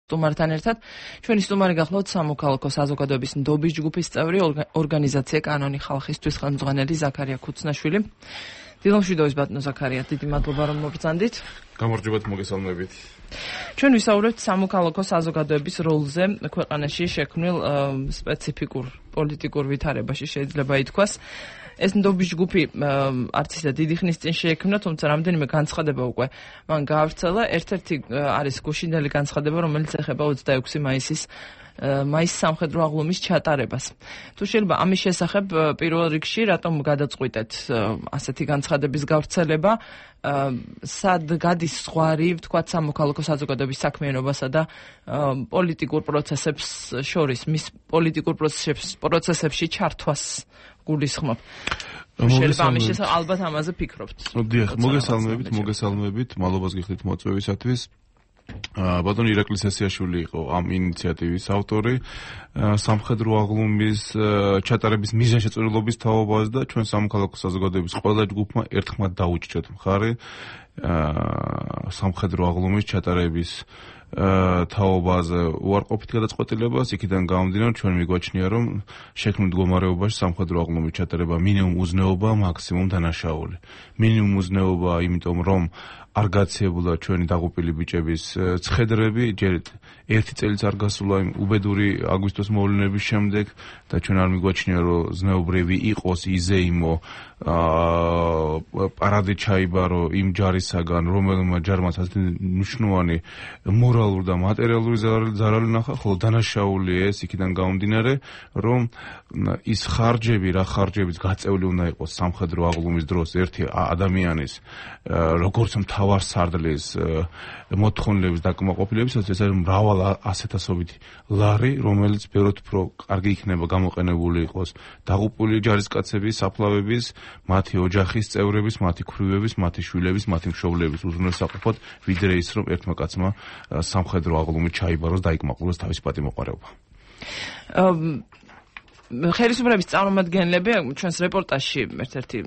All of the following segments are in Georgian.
სტუმართან ერთად ჩვენი სტუმარი გახლავთ სამოქალაქო საზოგადოების ნდობის ჯგუფის წევრი ორგანიზაცია კანონი ხალხისთვის ხელმძღვანელი ზაქარია ქუცნაშვილი. დილომშვიდობის ბატონო ზაქარია, დიდი მადლობა რომ მობრძანდით. გამარჯობათ, მოგესალმებით. ჩვენ ვისაუბრებთ სამოქალაქო საზოგადოების როლზე ქვეყანაში შექმნილ სპეციფიკურ პოლიტიკურ ვითარებაში შეიძლება ითქვას. ეს ნდობის ჯგუფი არც ისე დიდი ხნის წინ შეიქმნა, თუმცა რამდენიმე განცხადება უკვე მან გაავრცელა. ერთ-ერთი არის გუშინდელი განცხადება, რომელიც ეხება 26 მაისის სამხედრო აღლუმის ჩატარებას. თუ შეიძლება ამის შესახებ პირველ რიგში რატომ გადაწყვიტეთ ასეთი განცხადების გავრცელება, სად გადის ზღვარი, ვთქვათ, სამოქალაქო საზოგადოების საქმიანობასა და პოლიტიკურ პროცესებს შორის, მის პოლიტიკურ პროცესებში ჩართვას გულისხმობ. შეიძლება ამის შესახებ ალბათ ამაზე ფიქრობთ. დიახ, მოგესალმებით, მადლობას გიხდით მოწვევისათვის. ბატონი ირაკლი სესიაშვილი იყო ამ ინიციატივის ავტორი, სამხედრო აღლუმის ჩატარების მიზანშეწონილობის თაობაზე და ჩვენ სამოქალაქო საზოგადოების ყველა ჯგუფმა ერთხმად დაუჭირეთ მხარი სამხედრო აღლუმის ჩატარების თაობაზე უარყოფით გადაწყვეტილებას. იქიდან გამომდინარე, ჩვენ მიგვაჩნია, რომ შექმნილ მდგომარეობაში სამხედრო აღლუმის ჩატარება მინიმუმ უზნეობა, მაქსიმუმ დანაშაული. მინიმუმ უზნეობა, იმიტომ რომ არ გაციებულა ჩვენი დაღუპილი ბიჭების ცხედრები, ჯერ ერთი წელიც არ გასულა იმ უბედური აგვისტოს მოვლენების შემდეგ და ჩვენ არ მიგვაჩნია, რომ ზნეობრივი იყოს იზეიმო პარადი ჩაიბარო იმ ჯარისაგან, რომელმა ჯარმა ასეთი მნიშვნელოვანი მორალური და მატერიალური ზარალი ნახა, ხოლო დანაშაული ეს იქიდან გამომდინარე, რომ ის ხარჯები, რა ხარჯებიც გაწეული უნდა იყოს სამხედრო აღლუმის დროს ერთი ადამიანის როგორც მთავარ სარდლის მოთხოვნილების დაკმაყოფილების, ეს არის მრავალ ასეთასობითი ლარი, რომელიც ბევრად უფრო კარგი იქნება გამოყენებული იყოს დაღუპული ჯარისკაცების, საფლავების, მათი ოჯახის წევრების, მათი ქვრივების, მათი შვილების, მათი მშობლების უზრუნველსაყოფად, ვიდრე ის, რომ ერთმა კაცმა სამხედრო აღლუმით ჩაიბაროს და დაიკმაყოფილოს თავის პატიმოყარეობა. ხელისუფლების წარმომადგენლები ჩვენს რეპორტაჟში ერთ-ერთი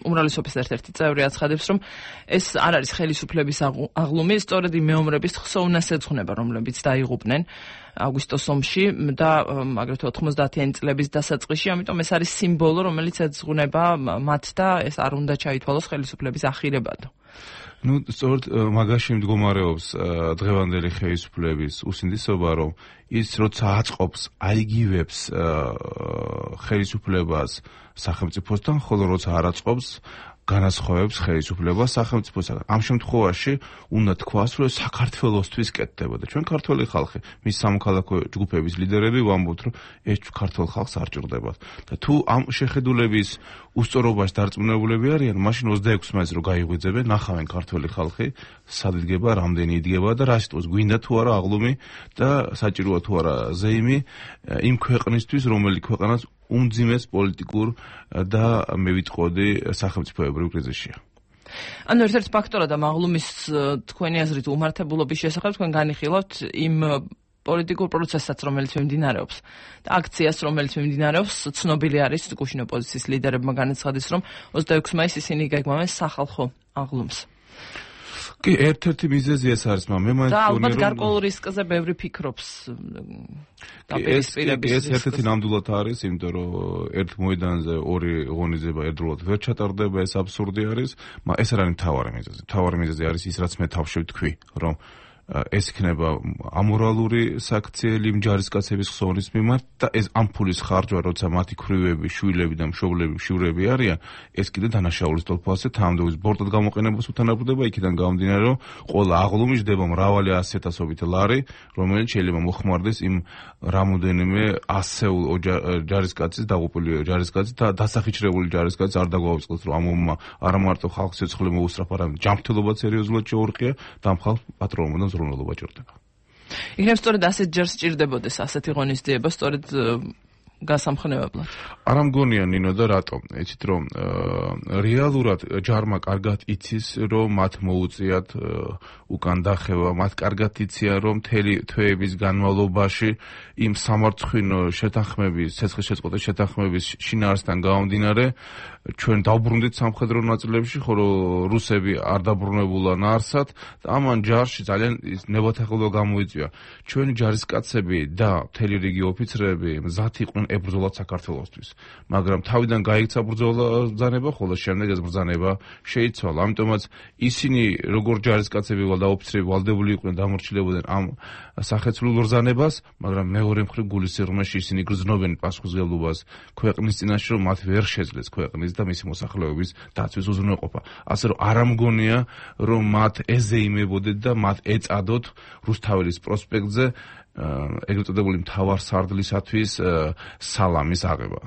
უმრავლესობის ერთ-ერთი წევრი აცხადებს, რომ ეს არ არის ხელისუფლების აღლუმი, სწორედ იმ მეომრების ხსოვნას ეძღვნება, რომლებიც დაიღუპნენ აგვისტოს ომში და აგრეთვე 90-იანი წლების დასაწყისში, ამიტომ ეს არის სიმბოლო, რომელიც ეძღვნება მათ და ეს არ უნდა ჩაითვალოს ხელისუფლების ახირებად. სწორედ მაგაში მდგომარეობს დღევანდელი ხელისუფლების უსინდისობა, რომ ის როცა აწყობს, აიგივებს ხელისუფლებას სახელმწიფოსთან, ხოლო როცა არ აწყობს, განასხვავებს ხელისუფლებას სახელმწიფოსაგან. ამ შემთხვევაში უნდა თქვას, რომ საქართველოსთვის კეთდება და ჩვენ ქართველი ხალხი, მის სამოქალაქო ჯგუფების ლიდერები ვამბობთ, რომ ეს ქართველ ხალხს არ ჭირდებათ. და თუ ამ შეხედულების უსწორობაში დარწმუნებულები არიან, მაშინ 26 მაისს რო გაიღვიძებენ, ნახავენ ქართველი ხალხი, სად იდგება, რამდენი იდგება და რა სიტყვის გვინდა თუ არა აღლუმი და საჭიროა თუ არა ზეიმი იმ ქვეყნისთვის, რომელი ქვეყანას უმძიმეს პოლიტიკურ და მე ვიტყოდი სახელმწიფოებრივ კრიზისშია. ანუ ერთ-ერთ ფაქტორად ამ აღლუმის თქვენი აზრით უმართებულობის შესახებ თქვენ განიხილავთ იმ პოლიტიკურ პროცესსაც, რომელიც მიმდინარეობს და აქციას, რომელიც მიმდინარეობს, ცნობილი არის გუშინ ოპოზიციის ლიდერებმა განაცხადეს, რომ 26 მაისს ისინი გეგმავენ სახალხო აღლუმს. კი, ერთ-ერთი მიზეზი ეს არის, მე მაინც და ალბათ გარკვეულ რისკზე ბევრი ფიქრობს. ეს ერთ-ერთი ნამდვილად არის, იმიტომ რომ ერთ მოედანზე ორი ღონისძიება ერთდროულად ვერ ჩატარდება, ეს აბსურდი არის. ეს არ არის მთავარი მიზეზი. მთავარი მიზეზი არის ის, რაც მე თავში ვთქვი, რომ ეს იქნება ამორალური საქციელი ჯარისკაცების ხსოვნის მიმართ და ეს ამ ფულის ხარჯვა, როცა მათი ქვრივები, შვილები და მშობლები, შვილები არიან, ეს კიდე დანაშაულის თვალსაზრისით თანამდებობის ბორტად გამოყენებას უთანაბრდება. იქიდან გამომდინარე, რომ ყველა აღლუმი ჯდება მრავალი ასეთასობით ლარი, რომელიც შეიძლება მოხმარდეს იმ რამოდენიმე ასეულ ჯარისკაცის, დაღუპული ჯარისკაცის და დასახიჩრებული ჯარისკაცის არ დაგვაუწყდეს, რომ ამმა არა მარტო ხალხის სიცოცხლე მოუსწრაფა, არამედ ჯანმრთელობა სერიოზულად შეურყია და ამ ხალხს პატრონობა ზრუნველობა ჭირდება. იქნებ სწორედ ასეთ ჯერ სჭირდებოდეს ასეთი ღონისძიება, სწორედ გასამხნევებლად. არ მგონია ნინო და რატომ? იცით რომ რეალურად ჯარმა კარგად იცის რომ მათ მოუწიათ უკან დახევა, მათ კარგად იციან რომ მთელი თვეების განმავლობაში იმ სამარცხვინო შეთანხმების, ცეცხლშეწყვეტის შეთანხმების შინაარსთან გამომდინარე ჩვენ დავბრუნდით სამხედრო ნაწილებში, ხოლო რუსები არ დაბრუნებულან არსად და ამან ჯარში ძალიან ნებათაღელვა გამოიწვია. ჩვენი ჯარისკაცები და მთელი რიგი ოფიცრები მზად იყვნენ ებრძოლათ საქართველოსთვის, მაგრამ თავიდან გაიქცა ბრძანება, ხოლო შემდეგ ეს ბრძანება შეიცვალა. ამიტომაც ისინი როგორც ჯარისკაცები და ოფიცრები ვალდებული იყვნენ დამორჩილებოდნენ ამ სახეცვლილ ბრძანებას, მაგრამ მეორე მხრივ გულისიღრმეში ისინი გრძნობენ პასუხისმგებლობას ქვეყნის წინაშე, რომ მათ ვერ შეძლეს ქვეყნის და მისი მოსახლეობის დაცვის უზრუნველყოფა. ასე რომ არ ამგონია, რომ მათ ეზეიმებოდეთ და მათ ეწადოთ რუსთაველის პროსპექტზე ეგრეთ წოდებული მთავარსარდლისათვის სალამის აღება.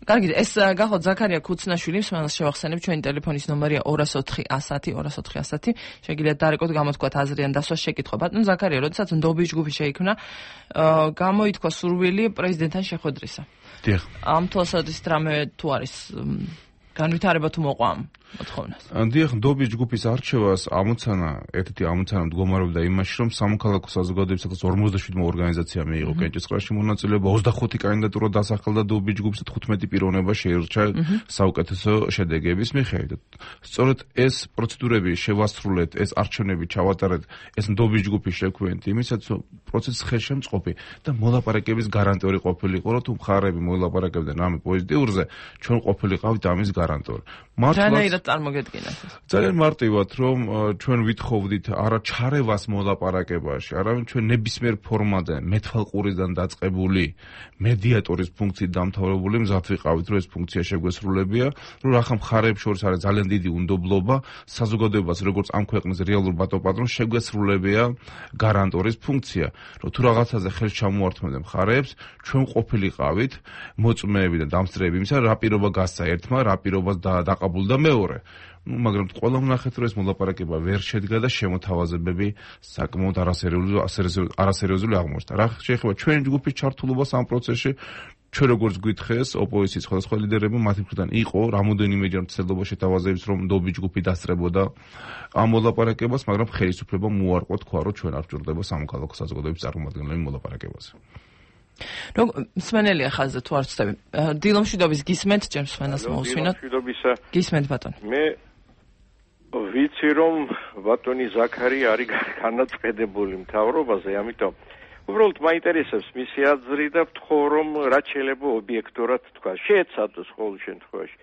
კარგი, ეს გახოთ ზაქარია ქუცნაშვილი, მსმენელს შევახსენებ, ჩვენი ტელეფონის ნომერია 204 110 204 110. შეგიძლიათ დარეკოთ გამოთქვათ აზრი ან დასვას შეკითხვა. ბატონ ზაქარია, როდესაც ნდობის ჯგუფი შეიქმნა, გამოითქვა სურვილი პრეზიდენტთან შეხვედრისა. დიახ. ამ თვალსაზრისით რამე თუ არის განვითარება თუ მოყვა ამ მოთხოვნას? დიახ, ნდობის ჯგუფის არჩევას ერთ-ერთი ამოცანა მდგომარეობდა იმაში, რომ სამოქალაქო საზოგადოებისათვის 57 ორგანიზაცია მიიღო კენჭისყრაში მონაწილეობა, 25 კანდიდატურა დასახელდა ნდობის ჯგუფს, 15 პიროვნება შეირჩა საუკეთესო შედეგების მიხედვით. სწორედ ეს პროცედურები შევასრულეთ, ეს არჩევნები ჩავატარეთ, ეს ნდობის ჯგუფის შექმნით იმისაც, რომ პროცესი ხელშემწყობი და მოლაპარაკების გარანტიორი ყოფილიყო, რომ თუ მხარეები მოილაპარაკებდნენ რამე პოზიტიურზე, ჩვენ ყოფილიყავით ამის გარანტიორი. მართლაც წარმოგედგინათ. ძალიან მარტივად, რომ ჩვენ ვითხოვდით არა ჩარევას მოლაპარაკებაში, არამედ ჩვენ ნებისმიერ ფორმაზე მეთვალყურიდან დაწყებული მედიატორის ფუნქციით დამთავრებული მზად ვიყავით, რომ ეს ფუნქცია შეგვესრულებია, რომ ახლა მხარეებს შორის არის ძალიან დიდი უნდობლობა, საზოგადოებას როგორც ამ ქვეყნის რეალურ ბატონპატრონს შეგვესრულებია გარანტორის ფუნქცია, რომ თუ რაღაცაზე ხელს ჩამოართმევდნენ მხარეებს, ჩვენ ყოფილიყავით მოწმეები და დამსწრეები იმისა, რა პირობა გასცა ერთმა, რა პირობას დაყაბულდა მეორე. მაგრამ ყველა ვნახეთ, რომ ეს მოლაპარაკება ვერ შედგა და შემოთავაზებები საკმაოდ არასერიოზული აღმოჩნდა. რა შეეხება ჩვენი ჯგუფის ჩართულობას ამ პროცესში, ჩვენ როგორც გვითხრეს, ოპოზიციის სხვადასხვა ლიდერები მათი მხრიდან იყო რამოდენიმეჯერ მცდელობა შეთავაზების, რომ ნდობის ჯგუფი დასწრებოდა ამ მოლაპარაკებას, მაგრამ ხელისუფლებამ უარყო, თქვა, რომ ჩვენ არ ვჭირდება სამოქალაქო საზოგადოების წარმომადგენლები მოლაპარაკებაზე. მსმენელია ხაზზე თუ არ ვცდები. დილომშვიდობის გისმენთ, ჯერ მსმენელს მოусვინოთ. გისმენთ ბატონი. მე ვიცი რომ ბატონი ზაქარია არის განაწყენებული მთავრობაზე, ამიტომ უბრალოდ მაინტერესებს მისი აზრი და ვთხოვ რომ რაც შეიძლება ობიექტურად თქვა. შეეცადოს ყოველ შემთხვევაში.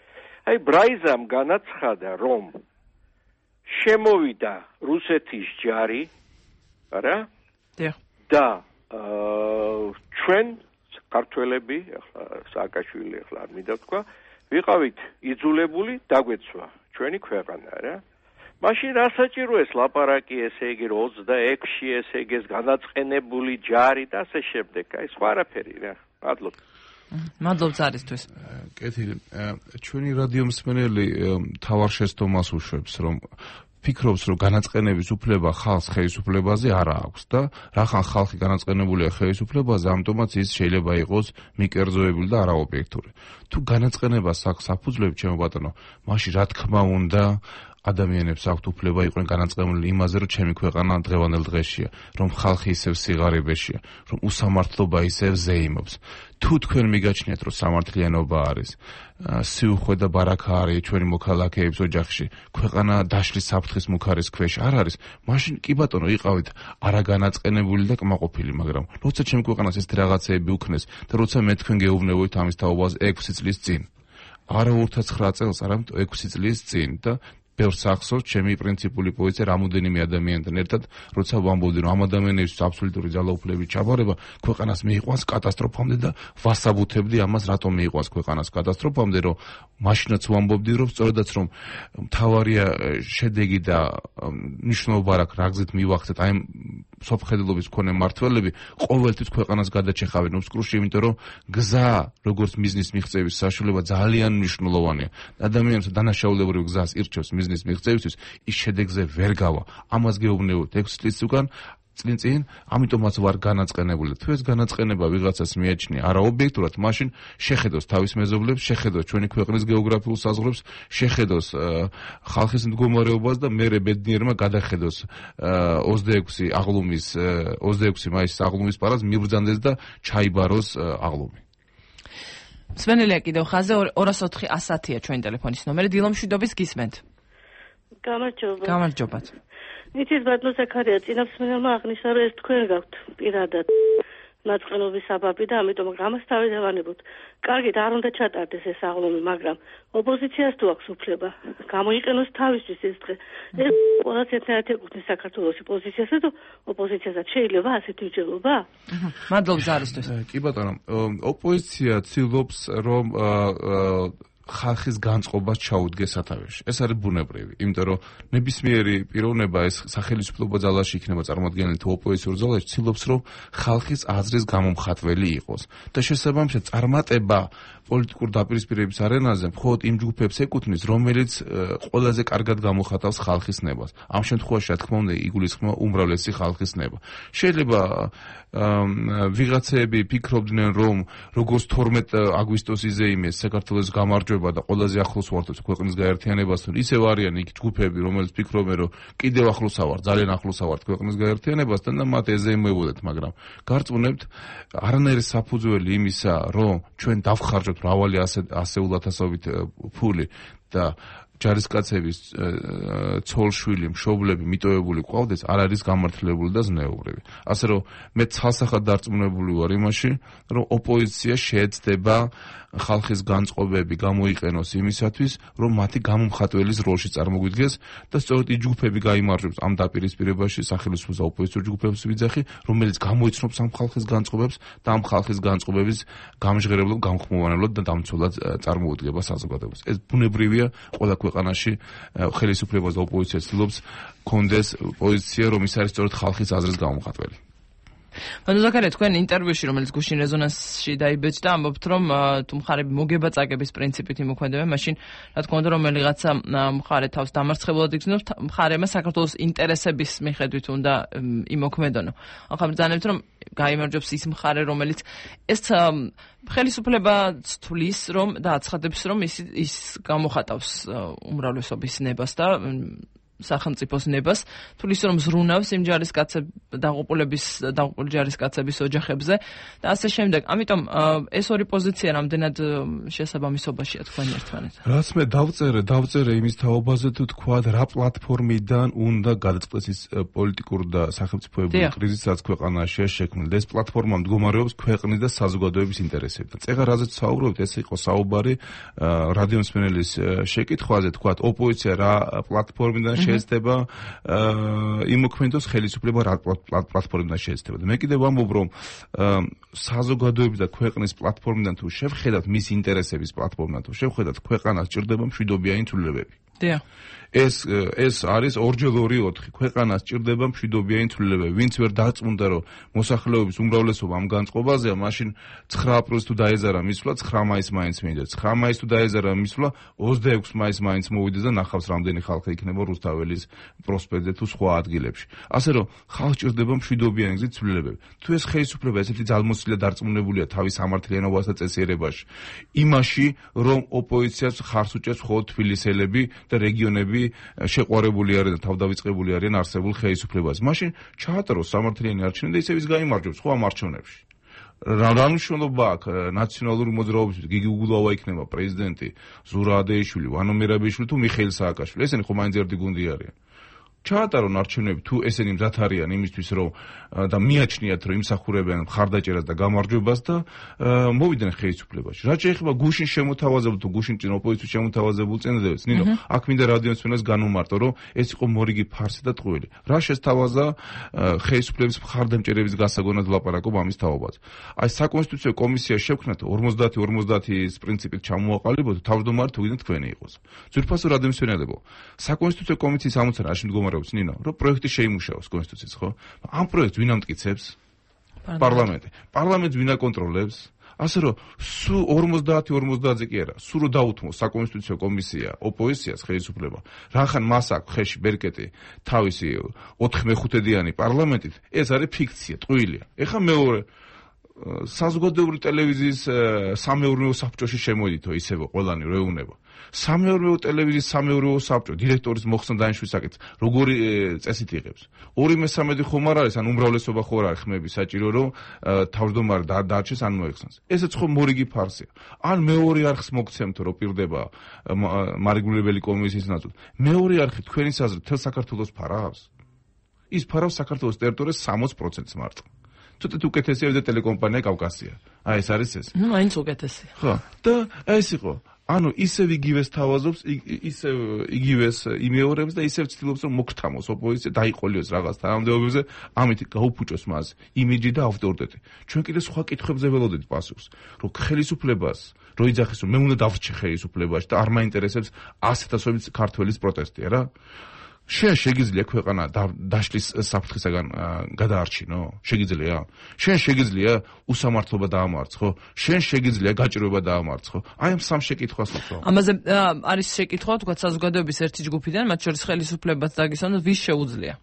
აი ბრაიზამ განაცხადა რომ შემოვიდა რუსეთის ჯარი, არა? და ჩვენ ქართველები, ახლა სააკაშვილი ახლა არ მინდა თქვა, ვიყავით იძულებული დაგვეცვა ჩვენი ქვეყანა, რა. მაშინ რა საჭირო ეს ლაპარაკი, ესე იგი 26-ში ესე იგი ეს განაწყენებული ჯარი და ასე შემდეგ. აი სხვა არაფერი რა. მადლობა. მადლობ ზარისთვის. კეთილი. ჩვენი რადიო მსმენელი თავარ შეცდომას უშვებს, რომ ფიქრობს, რომ განაწყენების უფლება ხალხს ხელისუფლებაზე არ აქვს და რახან ხალხი განაწყენებულია ხელისუფლებაზე, ამიტომაც ის შეიძლება იყოს მიკერძოებული და არაობიექტური. თუ განაწყენებას აქვს საფუძვლები, ჩემო ბატონო, მაშინ რა თქმა უნდა ადამიანებს აქვთ უფლება იყვნენ განაწყენებული იმაზე, რომ ჩემი ქვეყანა დღევანდელ დღეშია, რომ ხალხი ისევ სიღარიბეშია, რომ უსამართლობა ისევ ზეიმობს. თუ თქვენ მიგაჩნიათ, რომ სამართლიანობა არის, სიუხვე და ბარაქა არის ჩვენი მოქალაქეების ოჯახში, ქვეყანა დაშლის საფრთხის მუქარის ქვეშ არ არის, მაშინ კი ბატონო იყავით არაგანაწყენებული და კმაყოფილი, მაგრამ როცა ჩემი ქვეყანას ეს რაღაცეები უქნეს და როცა მე თქვენ გეუბნებოდით ამის თაობას 6 წლის წინ, არა 29 წელს, არამედ 6 წლის წინ და ბევრს ახსოვს ჩემი პრინციპული პოზიცია რამოდენიმე ადამიანთან ერთად, როცა ვამბობდი, რომ ამ ადამიანებისთვის აბსოლუტური ძალაუფლების ჩაბარება ქვეყანას მიიყვანს კატასტროფამდე და ვასაბუთებდი ამას, რატომ მიიყვანს ქვეყანას კატასტროფამდე, რომ მაშინაც ვამბობდი, რომ სწორედაც რომ მთავარია შედეგი და მნიშვნელობა აქვს, რა გზით მივახცეთ აი სოფხედლობის მქონე მართველები ყოველთვის ქვეყანას გადაჭეხავენ უსკრუში, იმიტომ რომ გზა, როგორც მიზნის მიღწევის საშუალება ძალიან მნიშვნელოვანია. ადამიანს დანაშაულებრივ გზას ირჩევს მიზნის მიღწევისთვის, ის შედეგზე ვერ გავა. ამას გეუბნებოდ 6 წლის უკან, წინ, ამიტომაც ვარ განაწყენებული. თუ ეს განაწყენება ვიღაცას მიაჩნია არა ობიექტურად, მაშინ შეხედოს თავის მეზობლებს, შეხედოს ჩვენი ქვეყნის გეოგრაფიულ საზღვრებს, შეხედოს ხალხის მდგომარეობას და მერე ბედნიერმა გადახედოს 26 მაისის აღლუმის პარადს მიბრძანდეს და ჩაიბაროს აღლუმი. სვენელია კიდევ ხაზე 204-110-ია ჩვენი ტელეფონის ნომერი. დილომშვიდობის გისმენთ. გამარჯობათ. იცით ბატონო ზაქარია, წინასწმენელმა აღნიშნა, რომ ეს თქვენ გაქვთ პირადად მაწყენობის საბაბი და ამიტომ ამას თავიდანვანებოთ. კარგით, არ უნდა ჩატარდეს ეს აღლუმი, მაგრამ ოპოზიციას თუ აქვს უფლება გამოიყენოს თავისთვის ეს დღე. ეს ყველას ერთად ეკუთვნის საქართველოს პოზიციასაც და ოპოზიციასაც შეიძლება ასეთი უჯრედობა? მადლობა ზარისთვის. კი ბატონო, ოპოზიცია ცდილობს რომ ხალხის განწყობას ჩაუდგეს სათავეში. ეს არის ბუნებრივი, იმიტომ რომ ნებისმიერი პიროვნება ეს სახელმწიფო ძალაში იქნება წარმოადგენილი თუ ოპოზიციურ ძალაში, ცდილობს რომ ხალხის აზრის გამომხატველი იყოს. და შესაბამისად წარმატება პოლიტიკურ დაპირისპირების არენაზე მხოლოდ იმ ჯგუფებს ეკუთვნის, რომელიც ყველაზე კარგად გამოხატავს ხალხის ნებას. ამ შემთხვევაში, რა თქმა უნდა, იგულისხმება უმრავლესი ხალხის ნება. შეიძლება ვიღაცები ფიქრობდნენ, რომ როგორც 12 აგვისტოს იზეიმეს საქართველოს გამარჯვება და ყველაზე ახლოს ვართ ქვეყნის გაერთიანებასთან, ისევ არიან იქ ჯგუფები, რომელიც ფიქრობენ, რომ კიდევ ახლოსა ვართ, ძალიან ახლოსა ვართ ქვეყნის გაერთიანებასთან და მათ ეზეიმებოდეთ, მაგრამ გარწმუნებთ, არანაირი საფუძველი იმისა, რომ ჩვენ დავხარჯოთ მრავალი ასეულათასობით ფული და ჯარისკაცების ცოლშვილი, მშობლები მიტოვებული ყავდეს, არ არის გამართლებული და ზნეობრივი. ასე რომ მე ცალსახად დარწმუნებული ვარ იმაში, რომ ოპოზიცია შეეცდება ხალხის განწყობები გამოიყენოს იმისათვის, რომ მათი გამომხატველის როლში წარმოგვიდგეს და სწორედ ის ჯგუფები გაიმარჯვებს ამ დაპირისპირებაში სახელმწიფო და ოპოზიციურ ჯგუფების ვიძახი, რომელიც გამოიცნობს ამ ხალხის განწყობებს და ამ ხალხის განწყობების გამჟღერებლად, გამხმოვანებლად და დამცველად წარმოუდგება საზოგადოებას. ეს ბუნებრივია ყველა ქვეყანაში ხელისუფლებას და ოპოზიციას ცდილობს კონდეს პოზიცია, რომ ის არის სწორედ ხალხის აზრის გამომხატველი. ბატონო ზაქარია, თქვენ ინტერვიუში, რომელიც გუშინ რეზონანსში დაიბეჭდა, ამბობთ, რომ თუ მხარები მოგება წაგების პრინციპით იმოქმედებენ, მაშინ რა თქმა უნდა, რომელიღაცა მხარე თავს დამარცხებულად იგრძნობს, მხარემა საქართველოს ინტერესების მიხედვით უნდა იმოქმედონო. ახლა ბრძანებთ, რომ გაიმარჯვებს ის მხარე, რომელიც ეს ხელისუფლებას თვლის, რომ და აცხადებს, რომ ის გამოხატავს უმრავლესობის ნებას და სახელმწიფოს ნებას, თulis რომ ზრუნავს იმ დაუყოლების ჯარისკაცების ოჯახებზე და ასე შემდეგ. ამიტომ ეს ორი პოზიცია რამდენად შესაბამისობაშია თქვენ ერთმანეთთან. რაც მე დავწერე იმის თაობაზე თუ თქვა რა პლატფორმიდან უნდა გადაწყდეს ის პოლიტიკური და სახელმწიფოებრივი კრიზისი, რაც ქვეყანაშია შექმნილი. ეს პლატფორმა მდგომარეობს ქვეყნის და საზოგადოების ინტერესებთან. ეხლა რაზეც საუბრობთ, ეს იყო საუბარი რადიომსმენელის შეკითხვაზე, თქვა ოპოზიცია რა პლატფორმიდან შეეცდება იმოქმედოს ხელისუფლება რა პლატფორმიდან შეეცდება. მე კიდევ ვამბობ, რომ საზოგადოების და ქვეყნის პლატფორმიდან თუ შევხედათ მის ინტერესების პლატფორმიდან თუ შევხედათ, ქვეყანას ჭირდება მშვიდობიანი ცვლილებები. ეს არის 2x2-4. ქვეყანას ჭირდება მშვიდობიანი ცვლილებები. ვინც ვერ დაწმუნდა, რომ მოსახლეობის უმრავლესობა ამ განწყობაზეა, მაშინ 9 აპრილს თუ დაეზარა მისვლა, 9 მაისს მაინც მივიდეს. 9 მაისს თუ დაეზარა მისვლა, 26 მაისს მაინც მოვიდეს და ნახავს რამდენი ხალხი იქნება რუსთაველის პროსპექტზე თუ სხვა ადგილებში. ასე რომ ხალხს ჭირდება მშვიდობიანი გზით ცვლილებები. თუ ეს ხელისუფლება ესეთი ძალმოსილი დარწმუნებულია თავის სამართლიანობას და წესიერებაში, იმაში, რომ ოპოზიციას ხარს უჭერს მხოლოდ თბილისელები და რეგიონები შეყვარებული არიან და თავდავიწყებული არიან არსებულ ხელისუფლებას. მაშინ ჩაატაროს სამართლიანი არჩევნები და ისევ ის გაიმარჯვებს სხვა არჩევნებში. რა მნიშვნელობა აქვს ნაციონალური მოძრაობისთვის? გიგი უგულავა იქნება პრეზიდენტი, ზურა ადეიშვილი, ვანო მერაბიშვილი თუ მიხეილ სააკაშვილი. ესენი ხო მაინც ერთი გუნდი არიან. ჩაატარონ არჩევნები თუ ესენი მზად არიან იმისთვის, რომ და მიაჩნიათ, რომ იმსახურებენ მხარდაჭერას და გამარჯვებას და მოვიდნენ ხელისუფლებაში. რაც შეეხება გუშინ შემოთავაზებულ თუ გუშინ წინ ოპოზიციის შემოთავაზებულ წინადადებას, ნინო, აქ მინდა რადიომსმენელს განვმარტო, რომ ეს იყო მორიგი ფარსი და ტყუილი. რა შესთავაზა ხელისუფლების მხარდამჭერების გასაგონად ვლაპარაკობ ამის თაობაზე. აი საკონსტიტუციო კომისია შევქმნათ 50-50-ის პრინციპით ჩამოაყალიბოთ, თავმჯდომარე თუ გინდათ თქვენი იყოს. ძვირფასო რადიომსმენელებო, საკონსტიტუციო კომისიის ამოცანა რაში მდგომარეობს, ნინო, რომ პროექტი შეიმუშაოს კონსტიტუციის, ხო? ამ პროექტს ვინ ამტკიცებს? პარლამენტი. პარლამენტს ვინ აკონტროლებს? ასე რომ სულ 50-50-ზე კი არა, სულ რომ დაუთმო საკონსტიტუციო კომისია ოპოზიციას ხელისუფლება, რახან მას აქვს ხელში ბერკეტი თავისი 4/5-დიანი პარლამენტით, ეს არის ფიქცია, ტყუილია. ეხლა მეორე საზოგადოებრივი ტელევიზიის სამეურნეო საბჭოში შემოდითო ისევ ყველანი რეუნება. სამეურნეო ტელევიზიის სამეურნეო საბჭო დირექტორის მოხსნა დანიშნვის საკითხს როგორი წესით იღებს? 2/3 ხომ არ არის, ან უმრავლესობა ხო არ არის ხმები საჭირო რომ თავმჯდომარე დარჩეს ან მოეხსნას. ესეც ხო მორიგი ფარსია. ან მეორე არხს მოგცემთ რომ პირდება მარეგულირებელი კომისიის ნაწილ. მეორე არხი თქვენი აზრით თელ საქართველოს ფარავს? ის ფარავს საქართველოს ტერიტორიას 60%-ს მარტო. ცოტა უკეთესია ვიდრე ტელეკომპანია კავკასია. აი ეს არის ეს. ნუ მაინც უკეთესია. ხო, და ეს იყო. ანუ ისევ იგივეს თავაზობს, ისევ იგივეს იმეორებს და ისევ ცდილობს რომ მოგთამოს ოპოზიცია, დაიყოლიოს რაღაც თანამდებობებზე, ამით გაუფუჭოს მას იმიჯი და ავტორიტეტი. ჩვენ კიდე სხვა კითხვებზე ველოდებით პასუხს, რომ ხელისუფლებას რო იძახის რომ მე უნდა დავრჩე ხელისუფლებაში და არ მაინტერესებს 100,000 ქართველის პროტესტია რა. შეგიძლია ქვეყანა დაშლის საფრთხისაგან გადაარჩინო? შეგიძლია? შეგიძლია უსამართლობა დაამარცხო? შეგიძლია გაჭირვება დაამარცხო? აი ამ სამ შეკითხვას ვთქვი. ამაზე არის შეკითხვა, თქვა საზოგადოების ერთი ჯგუფიდან, მათ შორის ხელისუფლებას დაგისვენოს, ვის შეუძლია?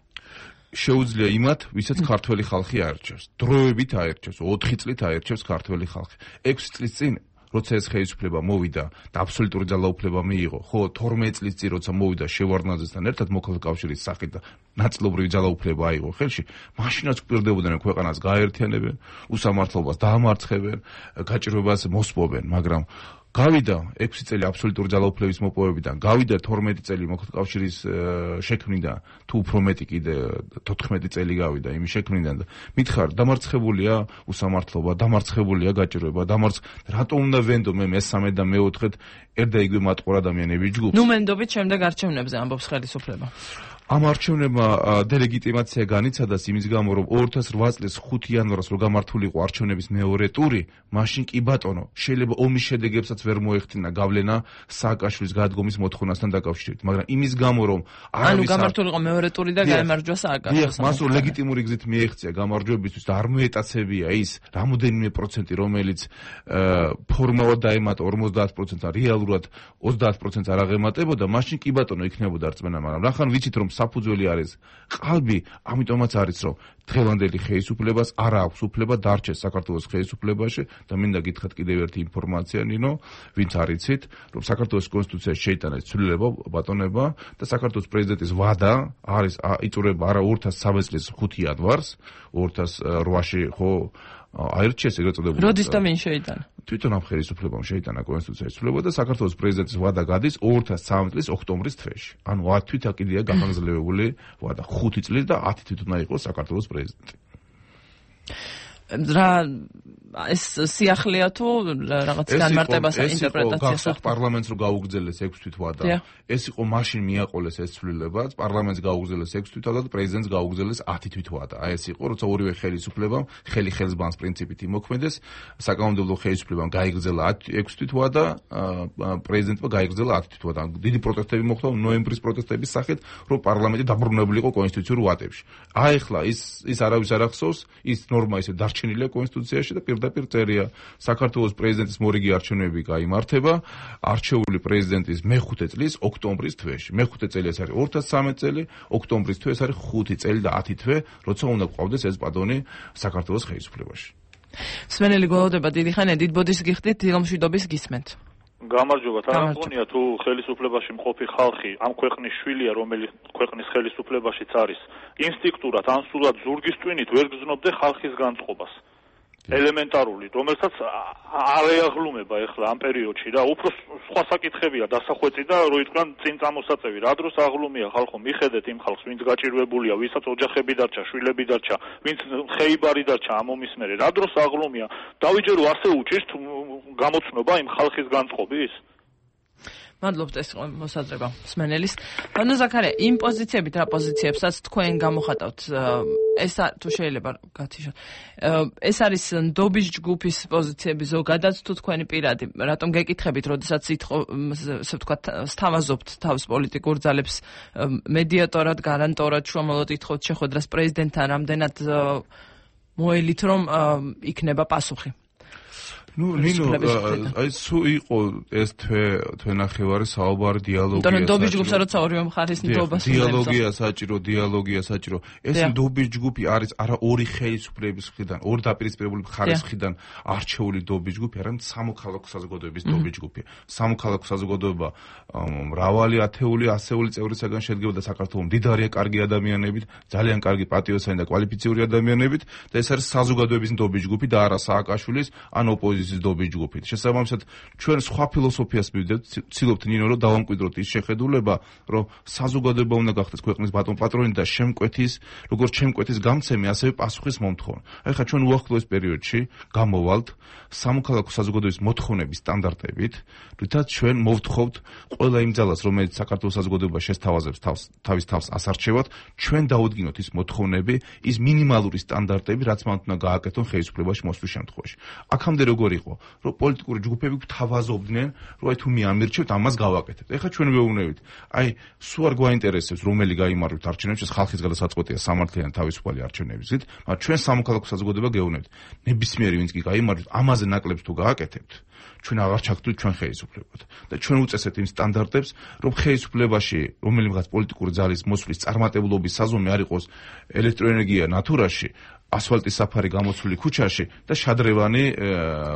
შეუძლია იმათ, ვისაც ქართველი ხალხი აერჩევს. დროებით აერჩევს, 4 წლით აერჩევს ქართველი ხალხი. 6 წლის წინ როცა ეს ხელისუფლება მოვიდა და აბსოლუტური ძალაუფლება მიიღო, ხო 12 წლის წინ როცა მოვიდა შევარდნაძესთან ერთად მოქალაქე კავშირის სახით და ნაწილობრივი ძალაუფლება აიღო ხელში, მაშინაც გვპირდებოდნენ ქვეყანას გააერთიანებენ, უსამართლობას დაამარცხებენ, გაჭირვებას მოსპობენ, მაგრამ გავიდა 6 წელი აბსოლუტური ძალაუფლების მოპოვებიდან, გავიდა 12 წელი მოქალაქე კავშირის შექმნიდან, თუ უფრო მეტი კიდე 14 წელი გავიდა იმის შექმნიდან და მითხარ, დამარცხებულია უსამართლობა, დამარცხებულია გაჭირვება, რატომ უნდა ვენდო მე მესამე და მეოთხედ ერთა იგივე მატყურ ადამიანების ჯგუფს? ნუ მენდობით შემდეგ არჩევნებზე ამბობს ხელისუფლება. ამ არჩევნებმა დელეგიტიმაცია განიცადა იმის გამო, რომ 2008 წლის 5 იანვარს რო გამართულიყო არჩევნების მეორე ტური, მაშინ კი ბატონო, შეიძლება ომის შედეგებსაც ვერ მოეხდინა გავლენა სააკაშვილის გადადგომის მოთხოვნასთან დაკავშირებით, მაგრამ იმის გამო, რომ ანუ გამართულიყო მეორე ტური და გაემარჯვა სააკაშვილს. მას რო ლეგიტიმური გზით მიეღწია გამარჯვებისთვის და არ მოეტაცებია ის რამოდენიმე პროცენტი, რომელიც ფორმალურად დაემატა 50%-ს, რეალურად 30%-ს არ აღემატებოდა, მაშინ კი ბატონო იქნებოდა რწმენა, მაგრამ რახან ვიცით რომ საფუძველი არის ყალბი, ამიტომაც არის რომ დღევანდელი ხელისუფლებას არ აქვს უფლება დარჩეს საქართველოს ხელისუფლებაში და მინდა გითხრათ კიდევ ერთი ინფორმაცია ნინო, ვინც არიცით, რომ საქართველოს კონსტიტუციაში შეიტანეს ცვლილება, ბატონება და საქართველოს პრეზიდენტის ვადა არის იწურება არა 2013 წლის 5 იანვარს, 2008-ში ხო აირჩიეს ეგრეთ წოდებული. როდის და ვინ შეიტანა? თვითონ ამ ხელისუფლებამ შეიტანა კონსტიტუციის ცვლილება და საქართველოს პრეზიდენტის ვადა გადის 2013 წლის ოქტომბრის თვეში. ანუ 10 თვით აკიდია გახანგრძლივებული ვადა, 5 წლის და 10 თვით უნდა იყოს საქართველოს პრეზიდენტი. რა ეს სიახლეა თუ რაღაც განმარტებას ინტერპრეტაციას ახსოვს პარლამენტს რო გაუგრძელეს 6 თვით ვადა. ეს იყო მაშინ მიაყოლეს ეს ცვლილებაც, პარლამენტს გაუგრძელეს 6 თვით ვადა და პრეზიდენტს გაუგრძელეს 10 თვით ვადა. აი ეს იყო, როცა ორივე ხელისუფლებამ ხელი ხელს ბანს პრინციპით იმოქმედეს, საკანონმდებლო ხელისუფლებამ გაიგრძელა 6 თვით ვადა, პრეზიდენტმა გაიგრძელა 10 თვით ვადა. დიდი პროტესტები მოხდა ნოემბრის პროტესტების სახით, რომ პარლამენტი დაბრუნებულიყო კონსტიტუციურ ვადებში. აი ახლა ის არავის არ ახსოვს, ის ნორმა ისე დარჩენილია კონსტიტუციაში და პირდაპირ წერია საქართველოს პრეზიდენტის მორიგი არჩევნები გაიმართება არჩეული პრეზიდენტის მე-5 წლის ოქტომბრის თვეში. მე-5 წელი ეს არის 2013 წელი, ოქტომბრის თვე ეს არის 5 წელი და 10 თვე, როცა უნდა გვყავდეს ეს პადონი საქართველოს ხელისუფლებაში. სვენელი გველოდება დიდი ხანია, დიდ ბოდის გიხდით, დილომშვიდობის გისმენთ. გამარჯობა, თანახმონია თუ ხელისუფლებაში მყოფი ხალხი ამ ქვეყნის შვილია, რომელიც ქვეყნის ხელისუფლებაშიც არის, ინსტინქტურად ან სულად ზურგის ტვინით ვერ გზნობდე ხალხის განწყობას. ელემენტარული, რომელსაც არ ეაღლუმება ეხლა ამ პერიოდში და უფრო სხვა საკითხებია დასახვეწი და რო იტყვიან წინ წამოსაწევი, რა დროს აღლუმია ხალხო, მიხედეთ იმ ხალხს, ვინც გაჭირვებულია, ვისაც ოჯახები დარჩა, შვილები დარჩა, ვინც ხეიბარი დარჩა ამ ომის მერე, რა დროს აღლუმია? დავიჯერო ასე უჭირთ გამოცნობა იმ ხალხის განწყობის? მადლობთ ეს მოსაზრება სმენელის. ანუ ზაქარია, იმ პოზიციებით რა პოზიციებსაც თქვენ გამოხატავთ, ეს თუ შეიძლება გათიშოთ. ეს არის ნდობის ჯგუფის პოზიციები ზოგადად თუ თქვენი პირადი? რატომ გეკითხებით, როდესაც ასე ვთქვათ, სთავაზობთ თავს პოლიტიკურ ძალებს მედიატორად, გარანტორად, შუამავლად ითხოვთ შეხვედრას პრეზიდენტთან, რამდენად მოელით რომ იქნება პასუხი? ნუ ნინო აი სულ იყო ეს თვენახევარი საუბარი დიალოგია საჭირო. დობის ჯგუფსა როცა ორივე მხარის ნდობას დიალოგია საჭირო. ეს დობის ჯგუფი არის არა ორი ხელისუფლების მხრიდან, ორი დაპირისპირებული მხარის მხრიდან არჩეული დობის ჯგუფი, არამედ სამოქალაქო საზოგადოების დობის ჯგუფი. სამოქალაქო საზოგადოება მრავალი ათეული, ასეული წევრისაგან შედგება და საქართველოს მდიდარია კარგი ადამიანებით, ძალიან კარგი პატრიოტები და კვალიფიციური ადამიანებით და ეს არის საზოგადოების დობის ჯგუფი და არა სააკაშვილის ან ოპოზიციის დობის ჯგუფი. შესაბამისად, ჩვენ სხვა ფილოსოფიას მივიდეთ, ცდილობთ ნინო რომ დავამკვიდროთ ის შეხედულება, რომ საზოგადოება უნდა გახდეს ქვეყნის ბატონ პატრონი და შემკვეთის, როგორც შემკვეთის გამცემი, ასევე პასუხის მომთხოვნი. აი ხა ჩვენ უახლოეს პერიოდში გამოვალთ სამოქალაქო საზოგადოების მოთხოვნების სტანდარტებით, რითაც ჩვენ მოვთხოვთ ყველა იმ ძალას, რომელიც საქართველოს საზოგადოება შესთავაზებს თავის თავს ასარჩევად, ჩვენ დაუდგინოთ ის მოთხოვნები, ის მინიმალური სტანდარტები, რაც მან უნდა გააკეთონ ხელისუფლებაში მოსვლის შემთხვევაში. აქამდე როგორ იყო, რომ პოლიტიკური ჯგუფები გვთავაზობდნენ, რომ აი თუ მე ამირჩევთ, ამას გავაკეთებთ. ეხლა ჩვენ ვეუბნებით, აი სულ არ გვაინტერესებს, რომელი გაიმარჯვოთ არჩევნებში, ეს ხალხის გადასაწყვეტია სამართლიანი თავისუფალი არჩევნებისით, მაგრამ ჩვენ სამოქალაქო საზოგადოება გეუბნებით, ნებისმიერი ვინც კი გაიმარჯვოთ, ამაზე ნაკლებს თუ გააკეთებთ, ჩვენ აღარ ჩაგდვით ჩვენ ხელისუფლებად და ჩვენ უწესებთ იმ სტანდარტებს, რომ ხელისუფლებაში რომელიღაც პოლიტიკური ძალის მოსვლის წარმატებლობის საზომი არ იყოს ელექტროენერგია ნატურაში, ასფალტის საფარი გამოცვლილი ქუჩაში და შადრევანი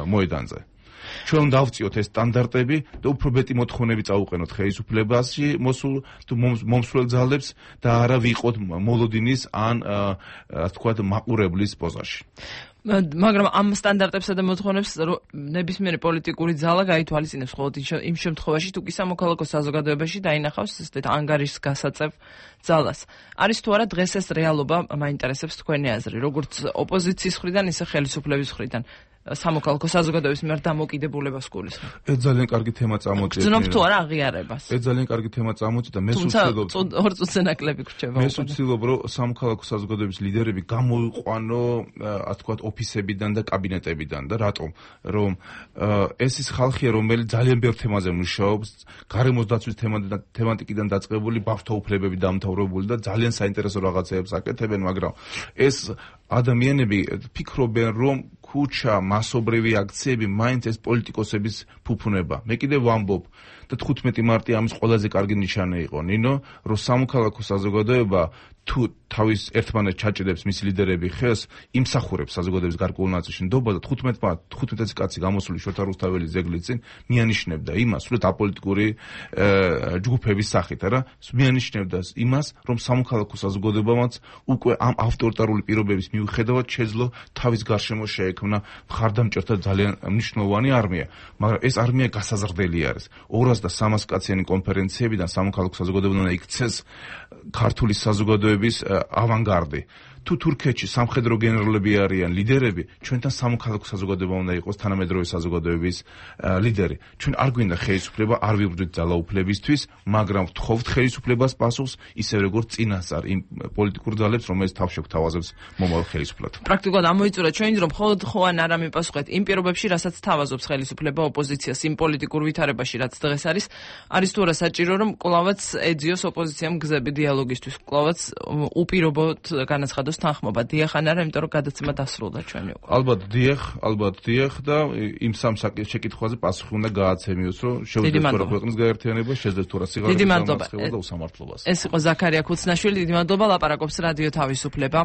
მოედანზე. ჩვენ უნდა დავწიოთ ეს სტანდარტები და უფრო მეტი მოთხოვნები წაუყენოთ ხელისუფლებაში მოსულ მომსვლელ ძალებს და არა ვიყოთ მოლოდინის ან ასე ვთქვათ მაყურებლის პოზაში. მაგრამ ამ სტანდარტებსა და მოთხოვნებს ნებისმიერი პოლიტიკური ძალა გაითვალისწინებს მხოლოდ იმ შემთხვევაში, თუ კი სამოქალაქო საზოგადოებაში დაინახავს ესეთ ანგარიშგასაწევ ძალას. არის თუ არა დღეს ეს რეალობა მაინტერესებს თქვენი აზრი, როგორც ოპოზიციის მხრიდან, ისე ხელისუფლების მხრიდან. სამოქალაქო საზოგადოების მიერ დამოკიდებულებას გულისხმობ. ეს ძალიან კარგი თემა წამოწია. გძნობ თუ არა აღიარებას. ეს ძალიან კარგი თემა წამოწია და მე ვცდილობ. ორ წუთზე ნაკლები გრჩება. მე ვცდილობ, რომ სამოქალაქო საზოგადოების ლიდერები გამოიყვანო, ასე ვთქვათ, ოფისებიდან და კაბინეტებიდან და რატომ? რომ ეს ის ხალხია, რომელიც ძალიან ბევრ თემაზე მუშაობს, გარემოს დაცვის თემატიკიდან დაწყებული, ბავშვთა უფლებები დამთავრებული და ძალიან საინტერესო რაღაცებს აკეთებენ, მაგრამ ეს ადამიანები ფიქრობენ, რომ ქუჩა, მასობრივი აქციები მაინც ეს პოლიტიკოსების ფუფუნება. მე კიდევ ვამბობ და 15 მარტი ამის ყველაზე კარგი ნიშანი იყო, ნინო, რომ სამოქალაქო საზოგადოება თუ თავის ერთმანეთს ჩაჭედებს მის ლიდერები ხელს, იმსახურებს საზოგადოების გარკვეულ ნაწილში ნდობა და 15 კაცი გამოსული შოთა რუსთაველის ძეგლის წინ მიანიშნებდა იმას, სულ აპოლიტიკური ჯგუფების სახით, არა? მიანიშნებდა იმას, რომ სამოქალაქო საზოგადოებამაც უკვე ამ ავტორიტარული პირობების მიუხედავად შეძლო თავის გარშემო შეექმნა მხარდამჭერთა ძალიან მნიშვნელოვანი არმია, მაგრამ ეს არმია გასაზრდელი არის. 200 და 300 კაციანი კონფერენციებიდან სამოქალაქო საზოგადოება უნდა იქცეს ქართული საზოგადოების ავანგარდი. თუ თურქეთში სამხედრო გენერლები არიან ლიდერები, ჩვენთან სამოქალაქო საზოგადოება უნდა იყოს თანამედროვე საზოგადოების ლიდერი. ჩვენ არ გვინდა ხელისუფლება, არ ვიბრძვით ძალაუფლებისთვის, მაგრამ ვთხოვთ ხელისუფლებას პასუხს, ისე როგორც წინასწარ იმ პოლიტიკურ ძალებს, რომელიც თავს შეგვთავაზებს მომავალ ხელისუფლად. პრაქტიკულად ამოიწურა ჩვენი რომ მხოლოდ ხო ან არა მიპასუხეთ იმ პირობებში, რასაც თავაზობს ხელისუფლება ოპოზიციას იმ პოლიტიკურ ვითარებაში, რაც დღეს არის თუ არა საჭირო რომ კვლავაც ეძიოს ოპოზიციამ გზები დიალოგისთვის, კვლავაც უპირობოდ განაცხადოს თანხმობა. დიახ ან არა, იმიტომ რომ გადაცემა დასრულდა ჩვენი უკვე. ალბათ დიახ და იმ სამ შეკითხვაზე პასუხი უნდა გააცემიოს, რომ შეუძლიათ თუ რა ქვეყნის გაერთიანება, შეძლიათ თუ რა სიღარიბის დამარცხება და უსამართლობას. ეს იყო ზაქარია ქუცნაშვილი, დიდი მადლობა, ლაპარაკობს რადიო თავისუფლება.